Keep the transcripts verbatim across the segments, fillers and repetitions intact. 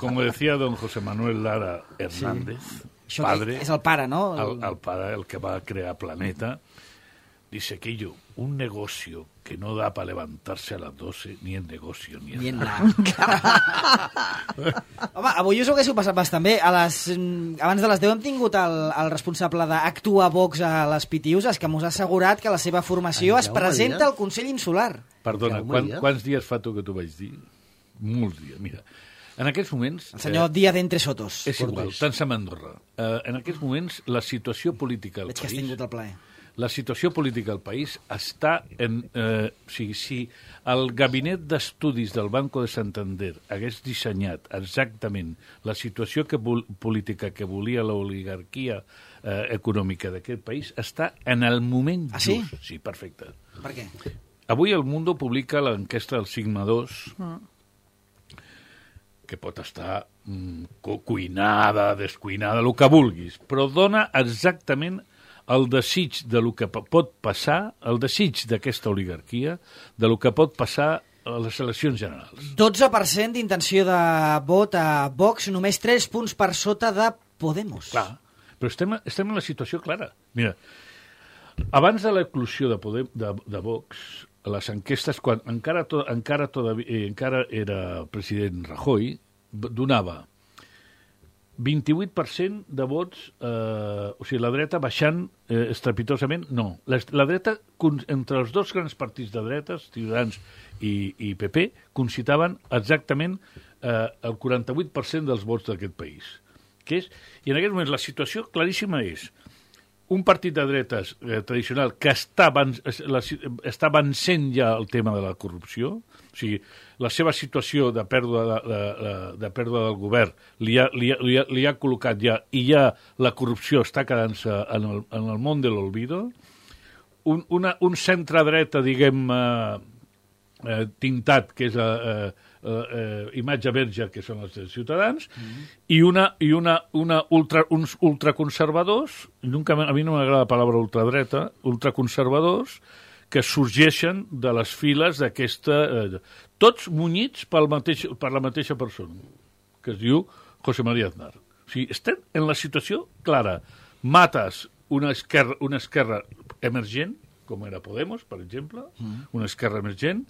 como decía don José Manuel Lara Hernández, sí. padre... És el pare, no? El, el pare, el que va crear Planeta, dice que yo, un negocio que no da para levantarse a las doce, ni el negocio, ni el... Ni en la... Home, avui us ho haguéssiu passat bastant bé. A les, abans de les deu hem tingut el, el responsable d'Actua Vox a les Pitiuses, que mos ha assegurat que la seva formació Ai, es Jaume presenta Díaz. al Consell Insular. Perdona, Jaume quan, Díaz. quants dies fa tu que t'ho vaig dir? Molts dies, mira. En aquests moments... El senyor eh, Díaz d'Entre Sotos. És igual, tant se m'Andorra. Uh, en aquests moments, la situació política al Veig que has país... tingut el plaer. La situació política al país està en... Eh, o sigui, si el gabinet d'estudis del Banco de Santander hagués dissenyat exactament la situació que vol, política que volia l'oligarquia eh, econòmica d'aquest país, està en el moment Ah, sí? just. Sí, perfecte. Per què? Avui el Mundo publica l'enquesta del Sigma dos, mm. que pot estar mm, cu cuinada, descuinada, el que vulguis, però dona exactament el desig de lo que pot passar, el desig d'aquesta oligarquia, de lo que pot passar a les eleccions generals. dotze per cent d'intenció de vot a Vox, només tres punts per sota de Podemos. Clar, però estem, estem en la situació clara. Mira, abans de l'eclusió de, Podem, de, de Vox, les enquestes, quan encara, to, encara, todavía, eh, encara era president Rajoy, donava vint-i-vuit per cent de vots, eh, o sigui, la dreta baixant eh, estrepitosament, no. La, la dreta, entre els dos grans partits de dretes, Ciutadans i, i P P, concitaven exactament eh, el quaranta-vuit per cent dels vots d'aquest país. Que és, I en aquest moment la situació claríssima és un partit de dretes eh, tradicional que està, van, la, està vencent ja el tema de la corrupció, o sigui, la seva situació de pèrdua, de, de, de, de pèrdua del govern li ha, li, ha, li, ha, li ha col·locat ja, i ja la corrupció està quedant-se en, el, en el món de l'olvido. Un, una, un centre-dreta, diguem, eh, eh, tintat, que és eh, eh, eh, imatge verge, que són els Ciutadans, mm-hmm. i, una, i una, una ultra, uns ultraconservadors, nunca, a mi no m'agrada la paraula ultradreta, ultraconservadors, que sorgeixen de les files d'aquesta... Eh, tots munyits pel mateix, per la mateixa persona, que es diu José María Aznar. O sigui, estem en la situació clara. Mates una esquerra, una esquerra emergent, com era Podemos, per exemple, mm. una esquerra emergent.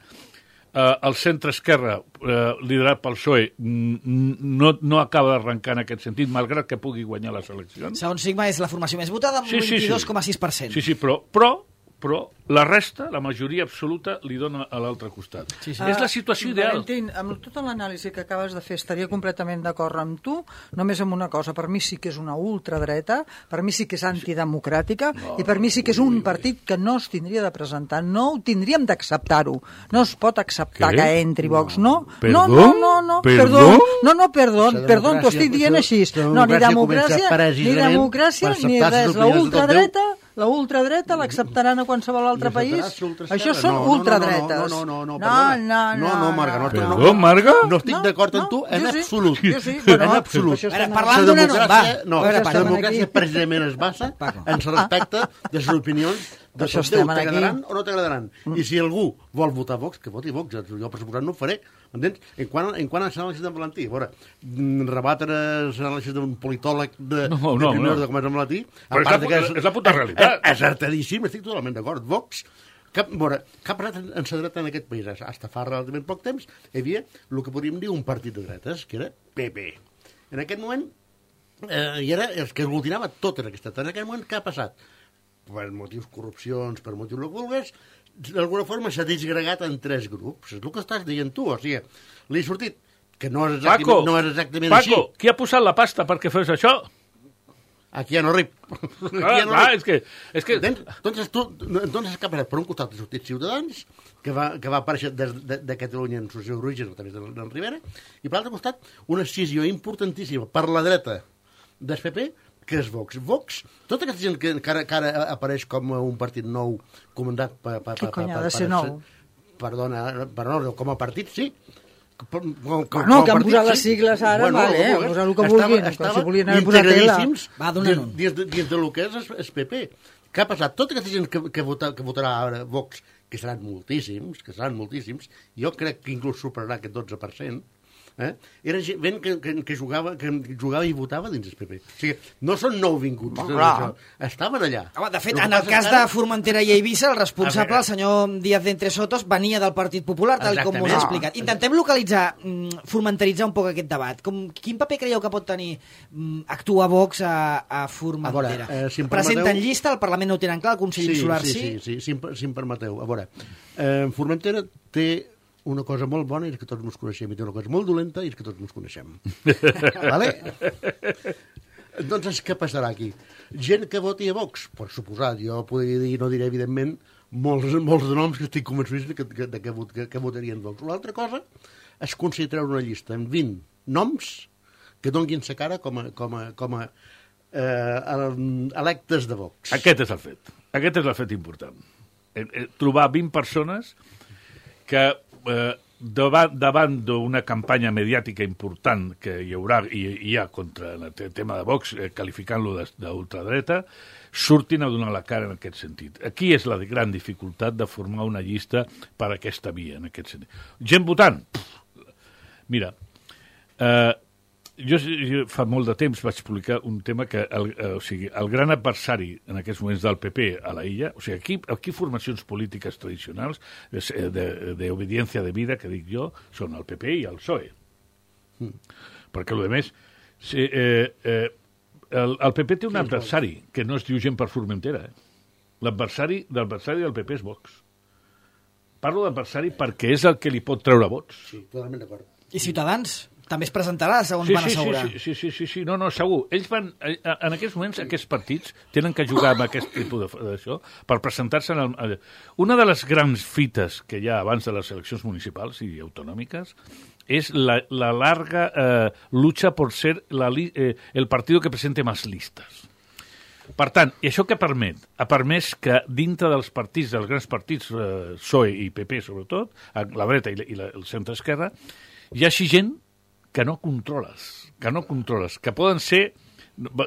Uh, el centre-esquerra, uh, liderat pel P S O E, no, no acaba d'arrencar en aquest sentit, malgrat que pugui guanyar les eleccions. Segons Sigma és la formació més votada, amb sí, un sí, vint-i-dos coma sis sí. per cent. Sí, sí, però, però, però la resta, la majoria absoluta, li dona a l'altre costat. Sí, sí. Uh, és la situació ideal. Valentín, amb tota l'anàlisi que acabes de fer, estaria completament d'acord amb tu, només amb una cosa, per mi sí que és una ultradreta, per mi sí que és antidemocràtica, no, i per mi sí que és un partit que no es tindria de presentar, no ho tindríem d'acceptar-ho. No es pot acceptar Què? que entri Vox, no? Perdó? No, no, no, no, perdó, no, no, perdó, perdó, t'ho estic dient així. No, ni democràcia, ni democràcia, ni res, la ultradreta... La ultradreta l'acceptaran a qualsevol altre país? Això són no, ultradretes. No, no, no, no, no, no, no, no, no, Marga, no, Perdó, no, Marga? No estic no, d'acord amb no, tu en jo sí, absolut. Jo sí, bueno, en absolut. Ara, parlant d'una no, va. No, veure, la democràcia precisament es basa en respecte de les opinions de això tot Déu, estem t'agradaran aquí. o no t'agradaran. Mm. I si algú vol votar Vox, que voti Vox. Jo, per suposat, no ho faré. Entens? En quant, en quant a l'anàlisi de Valentí, a veure, rebatre l'anàlisi d'un politòleg de, no, no, de primera no. de com és Valentí, a part és, la, és, és la puta realitat. És acertadíssim, estic totalment d'acord. Vox, cap, veure, cap passat en sa dreta en aquest país, fins fa relativament poc temps, hi havia el que podríem dir un partit de dretes, que era P P. En aquest moment, eh, i era els que aglutinava tot en aquesta. En aquest moment, què ha passat? Per motius corrupcions, per motius el que vulguis, d'alguna forma s'ha disgregat en tres grups. És el que estàs dient tu, o sigui, li ha sortit que no és exactament, Paco, no és exactament Paco, així. Paco, qui ha posat la pasta perquè fes això? Aquí ja no rip. Ah, ja no ah, rip. és que... És que... Entonces, tu, entonces, què ha passat? Per un costat ha sortit Ciutadans, que va, que va aparèixer de, de, de Catalunya en el seu origen, a través de, de Rivera, i per l'altre costat una escissió importantíssima per la dreta del P P, que és Vox. Vox, tota aquesta gent que encara, que ara apareix com un partit nou comandat per... per Què cony ha de ser per, nou? Perdona, perdona, com a partit, sí. Com, com, com, no, que han partit, posat les sí. sigles ara, bueno, vale, no, no, posar el que estava, vulguin, estava si volien haver posat tela. Va, donant un. Dins, dins, dins del que és el P P. Què ha passat? Tota aquesta gent que, que, vota, que votarà ara Vox, que seran moltíssims, que seran moltíssims, jo crec que inclús superarà aquest dotze per cent, Eh? Era gent que, que, que, jugava, que jugava i votava dins el P P. O sigui, no són nouvinguts, Oh, no, clar. això. Estaven allà. Home, de fet, El que en el passa cas és de que ara- Formentera i Eivissa, el responsable, A el senyor Díaz de Entre Sotos, venia del Partit Popular, tal com us he Exactament. explicat. Intentem localitzar, mm, formenteritzar un poc aquest debat. Com, quin paper creieu que pot tenir mm, actuar Vox a, a Formentera? A veure, eh, si em Presenten permeteu- llista, al Parlament no ho tenen clar, el Consell Insular sí? Sí, sí, sí, si, em, si em permeteu. A veure, eh, Formentera té una cosa molt bona i és que tots ens coneixem, i té una cosa molt dolenta i és que tots ens coneixem. Vale? Doncs què passarà aquí? Gent que voti a Vox, per suposat, jo podria dir, no diré evidentment, molts, molts de noms que estic convençut que, que, que, que, que votarien Vox. L'altra cosa és considerar una llista amb vint noms que donguin sa cara com a, com a, com a eh, electes de Vox. Aquest és el fet. Aquest és el fet important. Eh, eh, trobar vint persones que eh, davant, davant d'una campanya mediàtica important que hi haurà i hi ha contra el tema de Vox, eh, qualificant-lo d'ultradreta, surtin a donar la cara en aquest sentit. Aquí és la gran dificultat de formar una llista per aquesta via, en aquest sentit. Gent votant? Pff, mira, eh, jo, jo fa molt de temps vaig publicar un tema que el, eh, o sigui, el gran adversari en aquests moments del P P a la illa, o sigui, aquí, aquí formacions polítiques tradicionals d'obediència de, de, de vida, que dic jo, són el P P i el P S O E. Mm. Perquè, a més, si, eh, eh, el, el P P té un adversari que no es diu gent per Formentera. Eh? L'adversari l'adversari del P P és Vox. Parlo d'adversari perquè és el que li pot treure vots. Sí, totalment d'acord. I Ciutadans? També es presentarà, segons Sí, van sí, assegurar. sí, sí, sí, sí, sí, no, no, segur. Ells van, en aquests moments, aquests partits tenen que jugar amb aquest tipus d'això per presentar-se en el... Una de les grans fites que hi ha abans de les eleccions municipals i autonòmiques és la, la larga eh, lucha por ser la, eh, el partido que presente más listas. Per tant, i això què permet? Ha permès que dintre dels partits, dels grans partits, eh, P S O E i P P sobretot, la dreta i, la, i la, el centre-esquerra, hi hagi gent que no controles, que no controles, que poden ser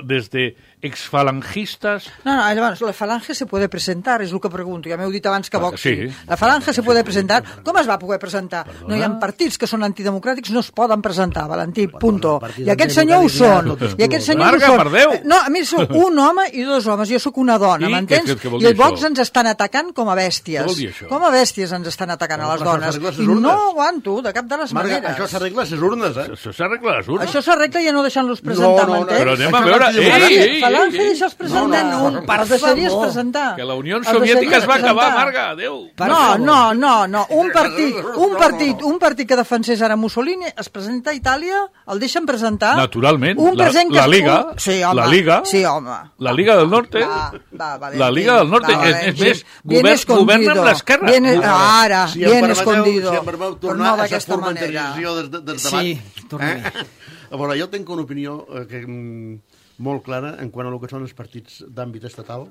desde exfalangistas... No, no, llavors, la falange se puede presentar, és el que pregunto. Ja m'heu dit abans que Vox sí. sí. La falange se puede presentar. Com es va poder presentar? Perdona? No hi ha partits que són antidemocràtics, no es poden presentar, Valentí, punto. I aquest senyor ho són. I aquest senyor Marga, ho per són. Déu. No, a mi sou un home i dos homes, jo sóc una dona, I m'entens? què- què vol I dir els Vox això? ens estan atacant com a bèsties. Què vol dir això? Com a bèsties ens estan atacant a les Però dones. això s'arregla a les I no urnes. ho aguanto, de cap de les Marga, maneres. això s'arregla a les urnes, eh? Això s'arregla a les urnes. Això s'arregla ja no deixant-los presentar, No, no, no, m'entens? Però anem a Això veure... no Ei, t'hi ei, ei, Falange, ei, deixa'ls presentar. No, no, Per per deixaries favor. presentar. que la Unió Els Soviètica es va deixaries acabar, presentar. Marga, adéu. Per no, favor. no, no, no. Un partit, un partit, un partit que defensés ara Mussolini es presenta a Itàlia, el deixen presentar. Naturalment, Un la- present que la es- Liga, un- sí, home, la Liga, sí, home. La Liga del Norte, Va, va, Valentín, la Liga del Norte, va, és, és Valentín. més, Bien govern, escondido. governa amb l'esquerra. Bien, Governa. ara, Si em bien permeteu- escondido. Si em permeteu Però tornar no a la d'aquesta manera. formentarizació del, del Sí, debat. torna-hi. A veure, jo tinc una opinió eh, que, mm, molt clara en quant a el que són els partits d'àmbit estatal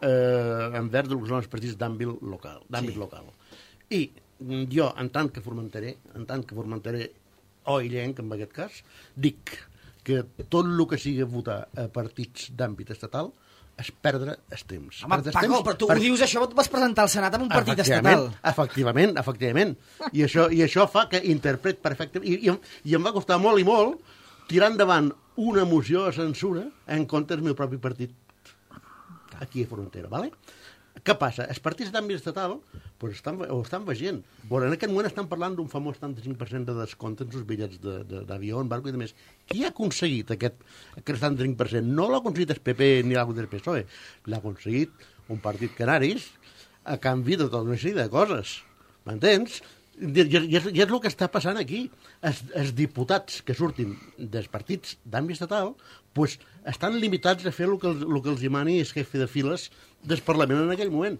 eh, envers del que són els partits d'àmbit local. D'àmbit sí. local. I mm, jo, en tant que formentaré, en tant que formentaré o illenc, en aquest cas, dic que tot el que sigui votar a partits d'àmbit estatal és perdre el temps. Home, Perdre el Paco, temps però tu per- ho dius això, tu vas presentar al Senat amb un partit Efectivament, estatal. Efectivament, efectivament. I això, i això fa que interpret perfectament... I, i, I em va costar molt i molt tirar endavant una moció de censura en contra del meu propi partit aquí a Formentera, ¿vale? Què passa? Els partits d'àmbit estatal pues, estan, ho estan veient. Bueno, en aquest moment estan parlant d'un famós setanta-cinc per cent de descompte en els bitllets d'avió, en barco i demés. Qui ha aconseguit aquest, aquest setanta-cinc per cent? No l'ha aconseguit el P P ni l'ha aconseguit el P S O E. L'ha aconseguit un partit canaris a canvi de tota una sèrie de coses. M'entens? I, i, i, és, I és el que està passant aquí. Els, els diputats que surtin dels partits d'àmbit estatal pues, estan limitats a fer el que, els, el que els dimani el jefe de files del Parlament en aquell moment.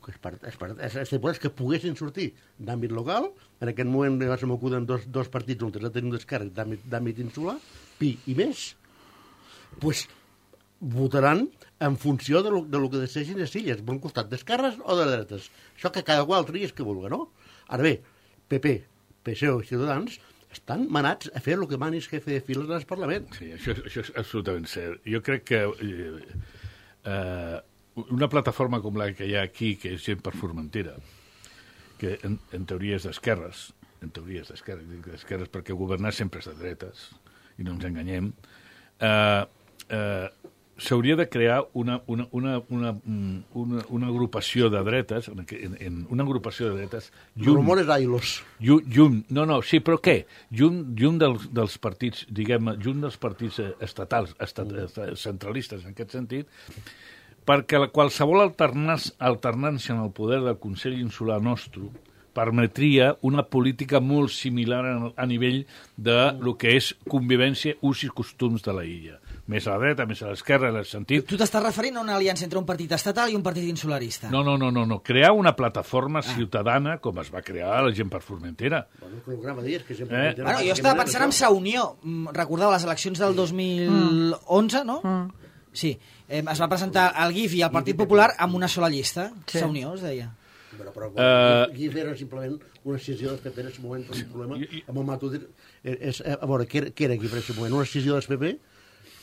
Els, part, els, part, els, els diputats que poguessin sortir d'àmbit local, en aquest moment se m'acuden dos, dos partits on ja tenim descàrrec d'àmbit insular, Pi i més, pues, votaran en funció de lo, de lo que decideixin les illes, per un costat d'esquerres o de dretes. Això que cada qual tria és que vulga, no? Ara bé, P P, P S O E i Ciutadans estan manats a fer el que mani el jefe de files del Parlament. Sí, això, això és absolutament cert. Jo crec que eh, eh, una plataforma com la que hi ha aquí, que és gent per Formentera, que en, en teoria és d'esquerres, en teoria és d'esquerres, dic d'esquerres perquè governar sempre és de dretes, i no ens enganyem, eh, eh, s'hauria de crear una, una, una, una, una, una agrupació de dretes, en, en, una agrupació de dretes... Llum, Rumores ailos. Llum, llum, no, no, sí, però què? Llum, llum dels, dels partits, diguem, llum dels partits estatals, estat, centralistes, en aquest sentit, perquè la, qualsevol alternància en el poder del Consell Insular nostre permetria una política molt similar a, a nivell de lo que és convivència, ús i costums de la illa. Més a la dreta, més a l'esquerra, en el sentit... Tu t'estàs referint a una aliança entre un partit estatal i un partit insularista? No, no, no, no, no. Crear una plataforma ah. ciutadana, com es va crear la gent per Formentera. Bueno, el programa dies que sempre... Eh? Bueno, jo estava pensant en Sa Unió. Recordeu les eleccions del dos mil onze, no? Mm. Sí. Eh, es va presentar el G I F i el Partit Popular amb una sola llista. Sí. Sa Unió, es deia. Però, però uh, G I F era simplement una decisió del P P en aquest moment, un problema amb el Matut. És, a veure, què era, què era G I F en aquest moment? Una decisió del P P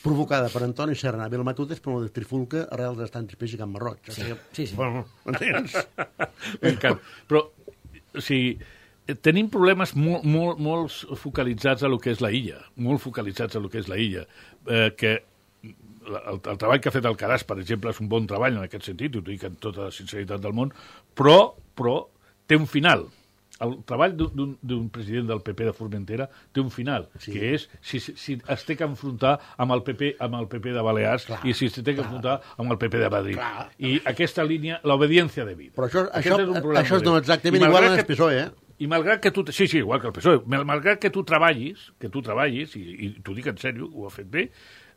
provocada per Antoni Serna i el Matutes per una trifulca arrel dels tantis peixos Can Marroig. Sí, o sigui, sí, sí. Bueno, m'entens? M'encanta. Però, o sigui, tenim problemes molt, molt, molt focalitzats a lo que és la illa, molt focalitzats a lo que és la illa, eh, que el, el treball que ha fet el Caràs, per exemple, és un bon treball en aquest sentit, ho dic amb tota la sinceritat del món, però, però té un final. El treball d'un president del P P de Formentera té un final, sí. que és si, si es té que enfrontar amb el P P, amb el P P de Balears clar, i si es té que clar. enfrontar amb el P P de Madrid. Clar. I aquesta línia, l'obediència de vida. Però això, això, és, això és exactament igual en el P S O E, eh? I malgrat que tu... Sí, sí, igual que el P S O E. Malgrat que tu treballis, que tu treballis, i, i t'ho dic en sèrio, ho ha fet bé,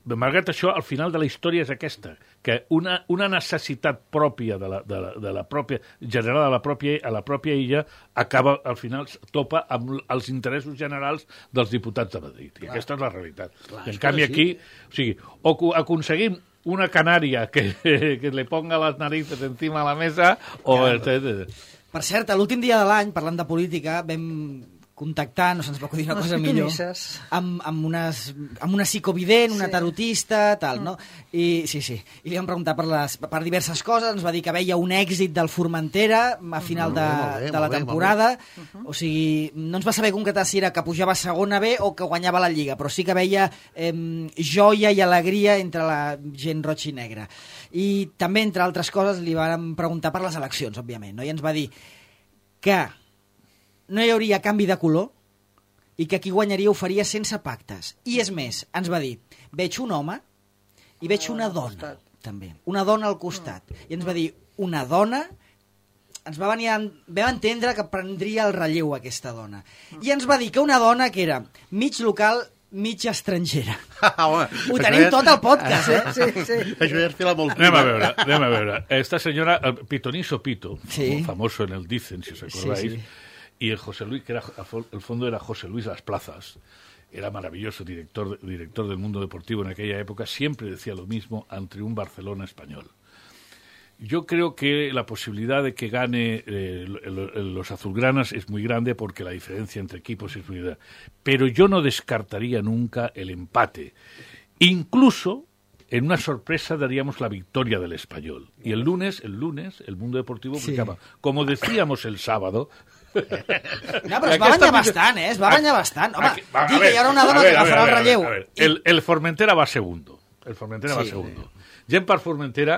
malgrat això, al final de la història és aquesta, que una, una necessitat pròpia de la, de la, de la pròpia, generada a la pròpia, a la pròpia illa, acaba, al final, topa amb els interessos generals dels diputats de Madrid. Clar. I aquesta és la realitat. Clar, I en canvi aquí, sí. o sigui, o aconseguim una canària que, que le ponga les narices encima de la mesa, o... Claro. Per cert, l'últim dia de l'any, parlant de política, vam contactar, no se'ns va acudir una unes cosa millor, amb, amb, unes, amb una psicovident, una sí. tarotista, tal, mm. no? I sí, sí. I li vam preguntar per, les, per diverses coses, ens va dir que veia un èxit del Formentera a final de, bé, de la temporada, uh -huh. o sigui, no ens va saber concretar si era que pujava a segona B o que guanyava la Lliga, però sí que veia eh, joia i alegria entre la gent roig i negra. I també, entre altres coses, li vam preguntar per les eleccions, òbviament, no? I ens va dir que no hi hauria canvi de color i que qui guanyaria ho faria sense pactes. I és més, ens va dir, veig un home i veig una dona, també. Una dona al costat. I ens va dir, una dona... Ens va venir a... vam entendre que prendria el relleu aquesta dona. I ens va dir que una dona que era mig local, mig estrangera. Ah, home, ho tenim és... tot al podcast, eh? Sí, sí. Això ja és fila molt... Anem a veure, anem a veure. Esta senyora, el Pitoniso Pito, sí. famoso en el Dicen, si os acordáis, sí, sí. y el José Luis, que era, el fondo era José Luis Las Plazas, era maravilloso director, director del Mundo Deportivo en aquella época, siempre decía lo mismo ante un Barcelona español. Yo creo que la posibilidad de que gane eh, los azulgranas es muy grande porque la diferencia entre equipos es muy grande. Pero yo no descartaría nunca el empate. Incluso, en una sorpresa, daríamos la victoria del Español. Y el lunes, el lunes, el Mundo Deportivo publicaba, sí. como decíamos el sábado... No, però es va banyar bastant, eh? Es va banyar bastant. Home, aquí, va, dir que hi haurà una dona que agafarà el relleu. A ver, el, el Formentera va segundo. El Formentera sí, va segundo. Gent per Formentera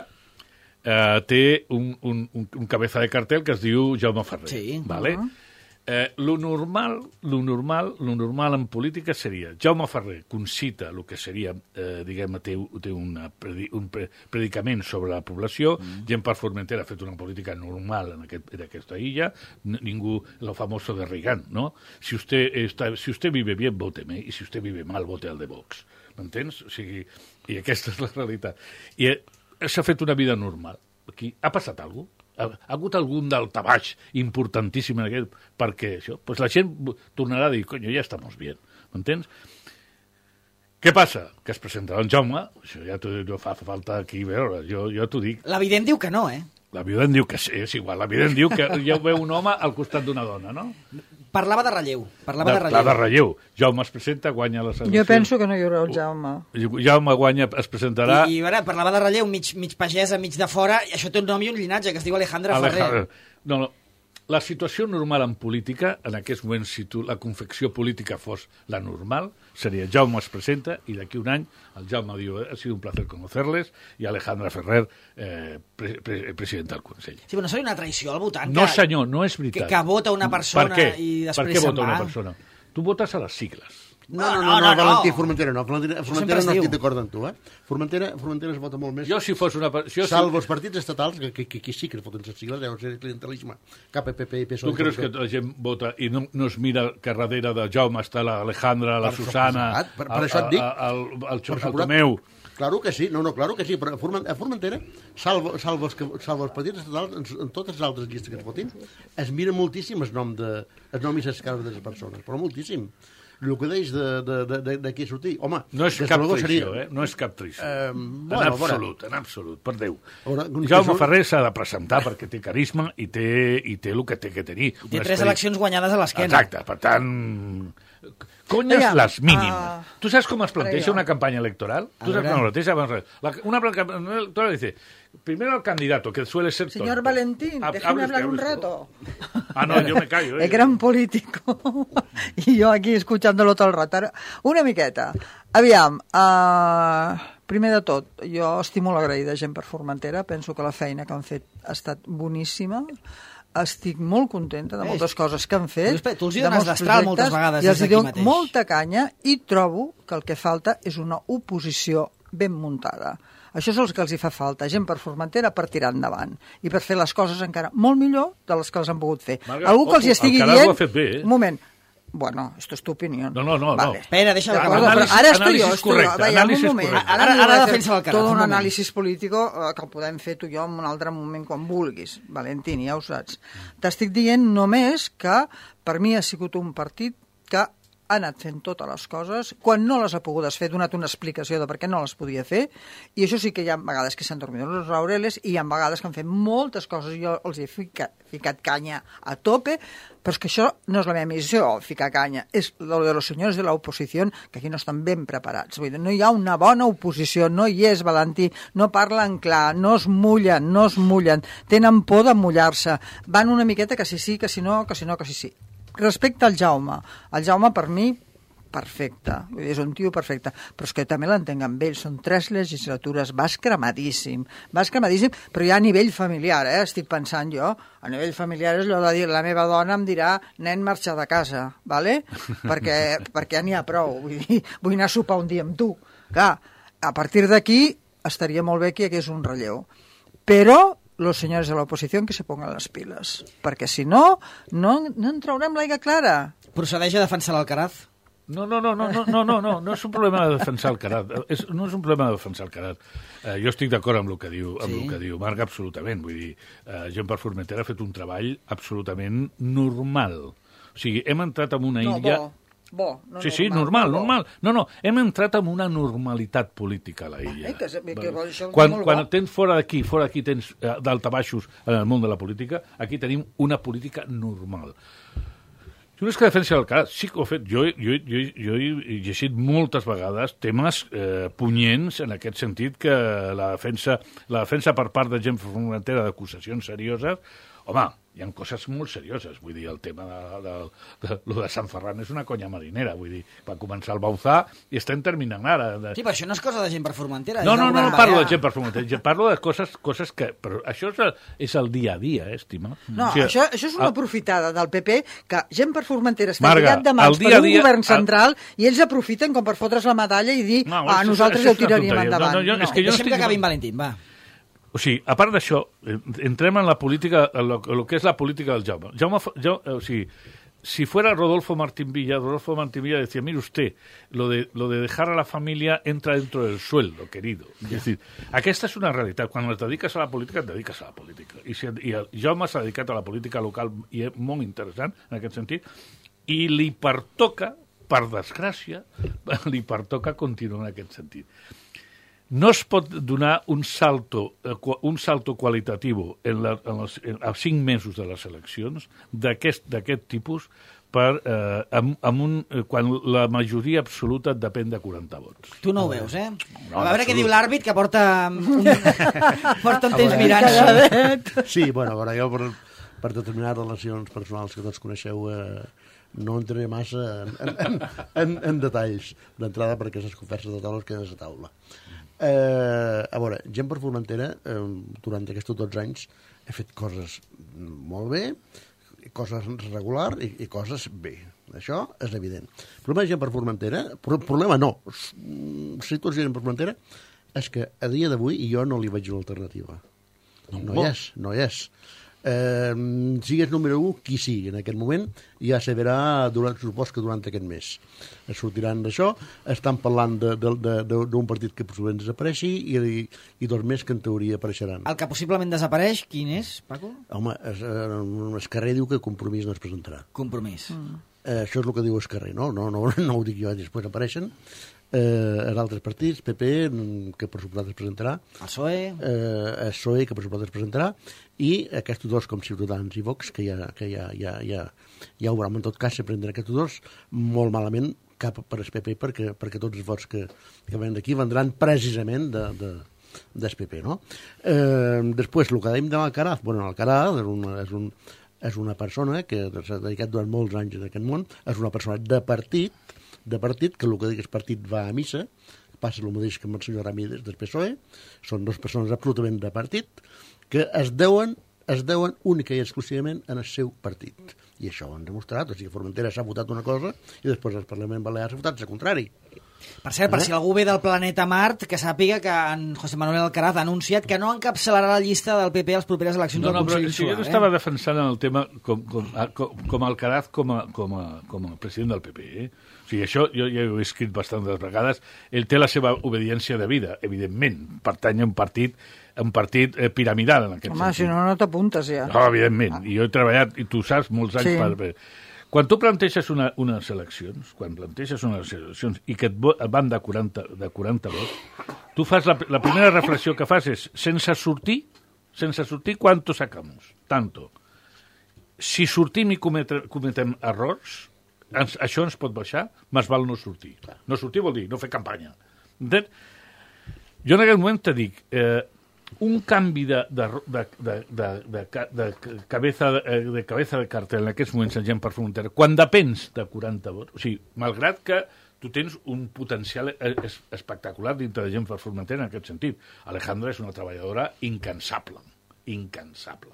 eh, té un, un, un, un cabeza de cartel que es diu Jaume Ferrer. Sí. Vale? Uh -huh. Eh, lo normal, lo normal, lo normal en política seria Jaume Ferrer concita el que seria, eh, diguem, té, té una, un predicament sobre la població, mm. gent per Formentera ha fet una política normal en, aquest, en aquesta illa, ningú, lo famoso de Reagan, ¿no? Si usted, está, si usted vive bien, vóteme, y si usted vive mal, vote al de Vox. M'entens? O sigui, i aquesta és la realitat. I eh, s'ha fet una vida normal. Aquí ha passat alguna cosa? Ha, ha hagut algun daltabaix importantíssim en aquest, perquè això, pues la gent tornarà a dir, coño, ja estamos bien, m'entens? Què passa? Que es presentarà en Jaume, això ja no fa falta aquí veure, jo, jo t'ho dic. L'evident diu que no, eh? L'evident diu que sí, és igual, l'evident diu que ja ho veu un home al costat d'una dona, no? Parlava de relleu, parlava de, de relleu. De relleu. Jaume es presenta, guanya les eleccions. Jo penso que no hi haurà el Jaume. Jaume guanya, es presentarà... I, i veure, parlava de relleu, mig, mig pagesa, mig de fora, i això té un nom i un llinatge, que es diu Alejandra, Alejandra. Ferrer. No, no, la situació normal en política, en aquests moments, si tu, la confecció política fos la normal, seria Jaume es presenta i d'aquí un any el Jaume diu ha sido un placer conocerles i Alejandra Ferrer, eh, pre pre presidenta del Consell. Sí, però no seria una traïció al votant? No, que, senyor, no és veritat. Que, que vota una persona per què? i després per què se'n vota va? una persona? Tu votes a les sigles. No, no, no, no, no, Valentí, Formentera no. Formentera, Formentera no diu. estic d'acord amb tu, eh? Formentera, Formentera es vota molt més. Jo, si fos una... Jo, Salvo els partits estatals, que, que, que, que sí que foten les sigles, deu ser clientelisme. K P P i P S O E. Tu creus que la gent vota i no, no es mira que darrere de Jaume està l'Alejandra, la Per Susana, suposat, per- per això et dic. el, el, el, Per el suposat. Tomeu... Claro que sí, no, no, claro que sí, però a Formen- a Formentera, salvo, salvo, els, que, salvo els partits estatals, en, en totes les altres llistes que es votin, es mira moltíssim el nom, de, el nom i les cares de les persones, però moltíssim. El que deix de, de, de, de, de qui sortir, home... No és des cap luego traïció, seria- eh? No és cap traïció. Eh, en bueno, absolut, en absolut, per Déu. Veure, un Jaume que surt- Ferrer s'ha de presentar perquè té carisma i té, i té el que té que tenir. Té Un tres esperit. eleccions guanyades a l'esquena. Exacte, per tant... Conyes Aviam, les mínim. ah, tu saps com es planteja ara jo. una campanya electoral? Tu saps veure. com es planteja? Vamos a ver. La, una campaña electoral dice, primero al candidato, que suele ser Señor tonto. Valentín, Hab- déjeme hables, hablar un hables tú. rato. Ah, no, yo me callo. Eh? Es gran político. I jo aquí escuchándolo tot el rato. Ara, una miqueta. Aviam, uh, primer de tot, jo estic molt agraïda gent per Formentera, penso que la feina que han fet ha estat boníssima, estic molt contenta de moltes coses que han fet. Tu, tu els hi de dones molts destral projectes, moltes vegades i els des hi d'aquí dono mateix. molta canya i trobo que el que falta és una oposició ben muntada. Això és el que els hi fa falta, gent per Formentera per tirar endavant i per fer les coses encara molt millor de les que els han pogut fer. Marga, Algú que els hi ojo, estigui Alcaraz dient... ho ha fet bé, eh? Un moment. Bueno, esto es tu opinión. No, no, no, no. Espera, deixa de Clar, parlar. anàlisi- Ara estoy anàlisis yo, estoy correcte, yo. Vaya, anàlisis un moment. correcte. Ara- ara voy a defensa fer l'Alcaraz, Tot un un moment. anàlisi polític eh, que el podem fer tu i jo en un altre moment quan vulguis, Valentín, ja ho saps. T'estic dient només que per mi ha sigut un partit que ha anat fent totes les coses, quan no les ha pogut fer, ha donat una explicació de per què no les podia fer, i això sí que hi ha vegades que s'han dormit els laureles i hi ha vegades que han fet moltes coses i jo els he ficat, ficat canya a tope, però és que això no és la meva missió, ficar canya, és lo de los senyors de l'oposició que aquí no estan ben preparats. Vull dir, no hi ha una bona oposició, no hi és, Valentí, no parlen clar, no es mullen, no es mullen, tenen por de mullar-se, van una miqueta que sí sí, que si no, que si no, que sí sí. Respecte al Jaume, el Jaume per mi perfecte, vull dir, és un tio perfecte, però és que també l'entenc amb ell, són tres legislatures, vas cremadíssim, vas cremadíssim, però ja a nivell familiar, eh, estic pensant jo, a nivell familiar és allò de dir, la meva dona em dirà, nen, marxa de casa, ¿vale? perquè, perquè ja n'hi ha prou, vull dir, vull anar a sopar un dia amb tu. Clar, a partir d'aquí estaria molt bé que hi hagués un relleu, però los señores de la oposición que se pongan las pilas, perquè si no, no, no en traurem l'aigua clara. Procedeix a defensar l'Alcaraz? No, no, no, no, no, no, no, no, no és un problema de defensar el Carat. És, no és un problema de defensar el Carat. Eh, jo estic d'acord amb el que diu, amb Sí. el que diu Marc, absolutament. Vull dir, eh, gent per Formentera ha fet un treball absolutament normal. O sigui, hem entrat en una No, illa... bo, bo. No, Sí, sí, normal, bo. normal. No, no, hem entrat en una normalitat política a la illa. Eh, que és- que Vale. això és quan molt quan bo. tens fora d'aquí, fora d'aquí tens eh, daltabaixos en el món de la política, aquí tenim una política normal. Jo no és que defensi el cas, sí que ho he fet. Jo, jo, jo, jo he llegit moltes vegades temes eh, punyents en aquest sentit que la defensa, la defensa per part de gent frontera d'acusacions serioses, home, hi ha coses molt serioses, vull dir, el tema de, de, de, de, de Sant Ferran és una conya marinera, vull dir, va començar el Bauzà i estem terminant ara. De... Sí, però això no és cosa de gent per Formentera. No, és no, del no, no govern parlo balear. de gent per Formentera, jo parlo de coses, coses que... Però això és el, és el dia a dia, eh, estima? No, O sigui, això, això és una el- aprofitada del P P que gent per Formentera està Marga, lligat de mans el dia per a un dia- govern el- central i ells aprofiten com per fotre's la medalla i dir, No, ah, això- nosaltres això ja ho és una tiraríem tonteria. endavant. No, no, jo- és que jo no Deixem estic- que acabi en Valentín, va. O sigui, a part d'això, eh, entrem en la política, en lo, en lo que és la política del Jaume. Jaume, Fa- jo, o sigui, si fuera Rodolfo Martín Villa, Rodolfo Martín Villa decía, mire usted, lo de, lo de dejar a la familia entra dentro del sueldo, querido. Es decir, aquesta és una realitat. Quan et dediques a la política, et dediques a la política. I, si, i el Jaume s'ha dedicat a la política local i és molt interessant en aquest sentit, i li pertoca, per desgràcia, li pertoca continuar en aquest sentit. No es pot donar un salto, eh, qua- un salto qualitatiu en la, en les, en, a cinc mesos de les eleccions d'aquest d'aquest tipus per, eh, amb, amb un, eh, quan la majoria absoluta et depèn de quaranta vots. Tu no ho veus, eh? No, a veure en què diu absolut. l'àrbit, que porta un, porta un temps mirant-se. Sí, bueno, a veure, jo per, per determinades relacions personals que tots coneixeu, eh, no entraré massa en, en, en, en detalls d'entrada perquè les converses de taula es queden a la taula. Eh, a veure, gent per Formentera, eh, durant aquests dotze anys he fet coses molt bé, coses regular i, i coses bé. Això és evident. El problema de gent per Formentera, pro, problema no, situació de gent per Formentera, és que a dia d'avui jo no li veig una alternativa. No, no hi és, no hi és. Eh, sigues número un, qui sigui en aquest moment, ja se verà durant, supos que durant aquest mes es sortiran d'això, estan parlant d'un partit que possiblement desapareixi i, i, i dos més que en teoria apareixeran. El que possiblement desapareix, quin és, Paco? Home, es, es carrer diu que Compromís no es presentarà. Compromís. Mm. Eh, això és el que diu el carrer, no? No, no, no ho dic jo, després apareixen. Eh, els altres partits, P P, que per suposat es presentarà, el P S O E, eh, el P S O E, que per suposat es presentarà, i aquests dos com Ciutadans i Vox, que ja, que ja, ja, ja, ja ho veurem. En tot cas, se prendran aquests dos molt malament cap per el P P, perquè, perquè tots els vots que, que venen d'aquí vendran precisament de, de, del P P, no? Eh, després, el que dèiem de l'Alcaraz, bueno, l'Alcaraz és, un, és, un, és una persona que s'ha dedicat durant molts anys en aquest món, és una persona de partit, de partit, que el que dic és partit va a missa, passa el mateix que amb el senyor Ramírez del P S O E, són dues persones absolutament de partit, que es deuen, es deuen única i exclusivament en el seu partit. I això ho han demostrat, o sigui, Formentera s'ha votat una cosa i després el Parlament Balear s'ha votat el contrari. Per cert, per eh? si algú ve del planeta Mart, que sàpiga que en José Manuel Alcaraz ha anunciat que no encapçalarà la llista del P P a les properes eleccions no, del no, Consell Insular. Insular. Jo no eh? estava defensant el tema com, com, com, com Alcaraz com a, com, a, com a president del P P. Eh? O sigui, això jo ja ho he escrit bastantes vegades. Ell té la seva obediència de vida, evidentment. Pertany a un partit un partit eh, piramidal, en aquest Home, sentit. si no, no t'apuntes ja. No, evidentment. I jo he treballat, i tu saps, molts anys Sí. per... Quan tu planteges una, unes eleccions, quan planteges unes eleccions i que et, vo- et van de quaranta, de quaranta vots, tu fas la, la primera reflexió que fas és, sense sortir, sense sortir, ¿cuánto sacamos? Tanto. Si sortim i cometre, cometem errors, ens, això ens pot baixar, més val no sortir. No sortir vol dir no fer campanya. Entens? Jo en aquest moment te dic, eh, un canvi de, de, de, de, de, de, de, cabeza, de cabeza de cartel en aquests moments en gent per Formentera, quan depens de quaranta vots, o sigui, malgrat que tu tens un potencial es, espectacular dintre de gent per Formentera en aquest sentit. Alejandra és una treballadora incansable, incansable.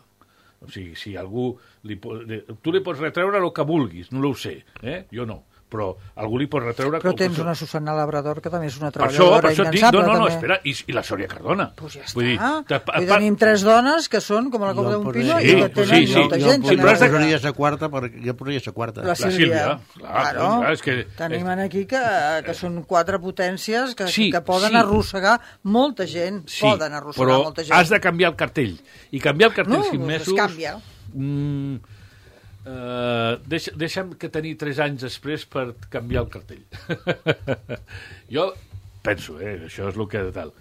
O sigui, si algú... Li, tu li pots retreure el que vulguis, no ho sé, eh? Jo no. Però algú li pot retreure... Però tens una Susana Labrador, que també és una per això, treballadora per això et dic, incansable. no, no, no, també. espera, i, i la Sòria Cardona. Pues ja està. Vull dir, te, pa, I tenim tres dones que són com la copa d'un pino sí, i que tenen sí, sí. molta Jo- gent. jo- Jo però has de- posaria la quarta, perquè jo posaria la quarta. La La Sílvia. Sílvia, clar, Claro. clar, és que... Tenim aquí que, que són quatre potències que, Sí, que poden sí. arrossegar molta gent. Sí, poden arrossegar però molta gent. has de canviar el cartell. I canviar el cartell No, cinc doncs es mesos... canvia. Mm, uh, deixa, deixa'm que tenir tres anys després per canviar el cartell. Jo penso, eh, això és el que tal.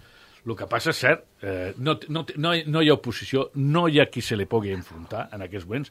El que passa és cert, eh, no, no, no, no hi ha oposició, no hi ha qui se li pugui enfrontar en aquests moments,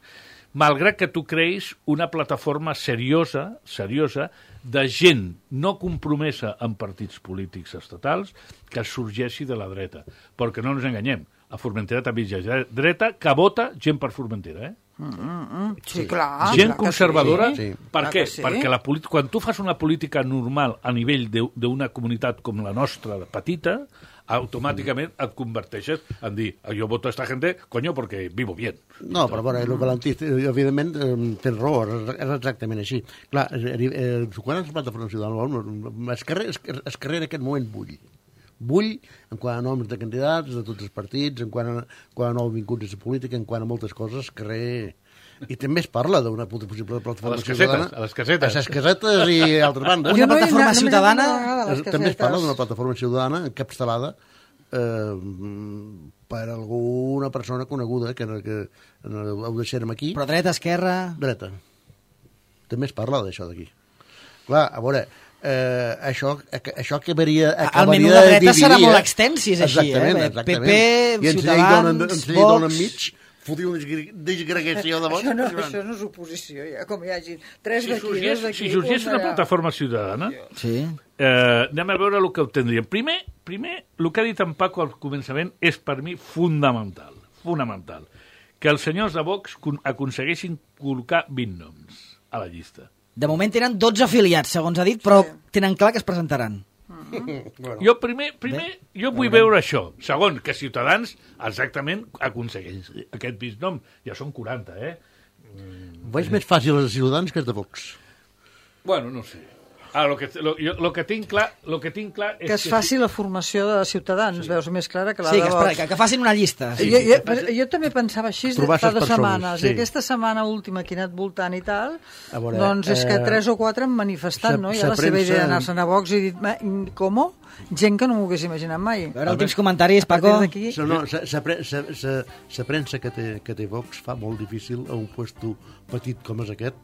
malgrat que tu creïs una plataforma seriosa, seriosa, de gent no compromesa en partits polítics estatals que sorgeixi de la dreta. Perquè no ens enganyem, a Formentera també hi ha dreta que vota gent per Formentera, eh? Mm, mm, mm. Sí, clar. Gent clar que conservadora, sí. sí. per Clar què? que sí. Perquè la política, quan tu fas una política normal a nivell de- d'una comunitat com la nostra, petita, automàticament et converteixes en dir, jo voto a esta gente, coño, porque vivo bien. No, però bueno, el Valentí, evidentment, eh, té raó, és és exactament així. Clar, eh, eh, quan es plataforma ciutadana, el carrer, el carrer en aquest moment bull. Bull en quant a noms de candidats de tots els partits, en quant a, quant a nous vincuts a la política, en quant a moltes coses, carrer... I també es parla d'una possible plataforma A les casetes, ciutadana. a les casetes. A les casetes i altres bandes. Una Jo no he plataforma anat- no m'he anat ciutadana, una vegada a les També es parla casetes. d'una plataforma ciutadana encapçalada eh, per alguna persona coneguda, que, que ho deixarem aquí. però dreta, esquerra... Dreta. També es parla d'això d'aquí. Clar, a veure, eh, això, això acabaria, acabaria menú de dreta dividir, serà molt eh? extens, si és així, Exactament, eh? exactament. P P, I ens Ciutadans, donen, ens donen Vox... mig, fotiu una desgre- desgregació de vots. Això no, això no és oposició, ja, com hi hagi tres Si d'aquí, dos sorgís, d'aquí... si sorgís un una d'allà. plataforma ciutadana, Sí. eh, anem a veure el que obtendríem. Primer, primer, el que ha dit en Paco al començament és per mi fundamental, fonamental, que els senyors de Vox con- aconsegueixin col·locar vint noms a la llista. De moment tenen dotze afiliats, segons ha dit, però Sí. tenen clar que es presentaran. Bueno, Jo primer, primer jo vull veure això. Segon, que Ciutadans exactament aconsegueix aquest vint nom. Ja són quaranta, eh? veig més fàcil els Ciutadans que els de Vox. Bueno, no sé. Ara, lo que, lo, jo, lo que tinc clar, lo que tinc clar és Que es faci la formació de Ciutadans, sí. Veus més clara que la Sí, de que, Vox. espera, que, que facin una llista. Sí. jo, jo, però jo també pensava així Trobar fa ses dues persones, setmanes, sí. i aquesta setmana última que he anat voltant i tal, A veure, doncs és que eh, tres o quatre han manifestat, sa- no? I sa la seva premsa- idea d'anar-se'n a Vox i he dit, "Ma, com? Gent que no m'ho hagués imaginat mai. A veure, últims comentaris, A partir Paco. d'aquí... So, no, sa, sa, pre- sa, sa, sa premsa que té, que té Vox fa molt difícil a un puesto petit com és aquest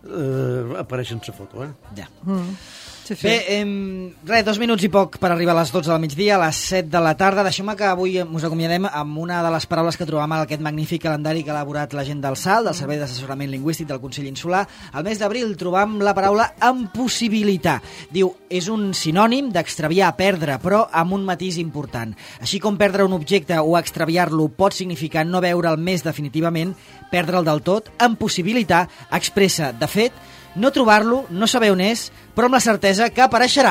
eh, aparèixer en sa foto, eh? Ja. Mm. Sí, sí. Bé, eh, res, dos minuts i poc per arribar a les dotze del migdia, a les set de la tarda. Deixeu-me que avui us acomiadem amb una de les paraules que trobam en aquest magnífic calendari que ha elaborat la gent del S A L, del Servei d'Assessorament Lingüístic del Consell Insular. Al mes d'abril trobam la paraula impossibilitar. Diu, és un sinònim d'extraviar, perdre, però amb un matís important. Així com perdre un objecte o extraviar-lo pot significar no veure'l més definitivament, perdre'l del tot, impossibilitar expressa, de fet, no trobar-lo, no saber on és, però amb la certesa que apareixerà.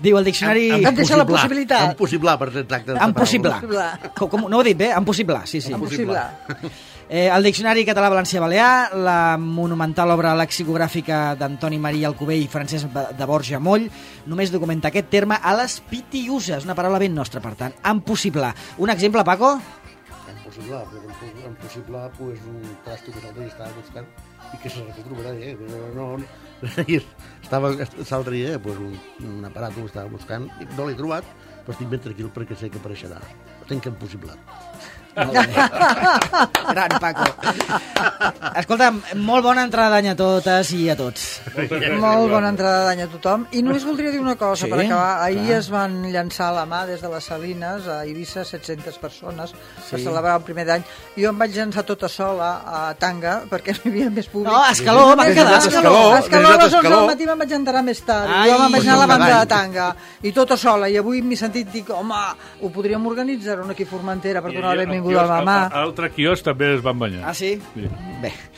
Diu el diccionari... Em deixa la possibilitat. Impossible, per ser exacte. Impossible. Impossible. Com, com, no ho he dit bé? Impossible, sí, sí. Impossible. Eh, el Diccionari Català-Valencià-Balear, la monumental obra lexicogràfica d'Antoni Maria Alcover i Francesc de Borja Moll, només documenta aquest terme a les pitiuses, una paraula ben nostra, per tant. Impossible. Un exemple, Paco? Impossible, però impossible, pues, un trasto que l'altre dia estava buscant i que se retrobarà, eh? No, no, estava l'altre dia, pues, un, un aparat que estava buscant i no l'he trobat, però estic ben tranquil perquè sé que apareixerà. Ho tenc impossible. Gran, Paco. Escolta, molt bona entrada d'any a totes i a tots. Molt bona entrada d'any a tothom. I només voldria dir una cosa, Sí, per acabar. Ahir clar. es van llançar a la mà des de les Salines a Eivissa set-centes persones per celebrar el primer d'any. Jo em vaig llançar tota sola a Tanga perquè no hi havia més públic. No, a Escaló, van Des quedar. de Escaló, A Escaló, a les des onze d'Escaló. del matí me'n vaig enterar més tard. Ai, jo me'n vaig anar a la pues banda de cada any. Tanga. I tota sola. I avui m'he sentit, dic, home, ho podríem organitzar un aquí a Formentera per donar la benvinguda a la mamà. Altre quiosc també es van banyar. Ah, sí? Sí. Bé.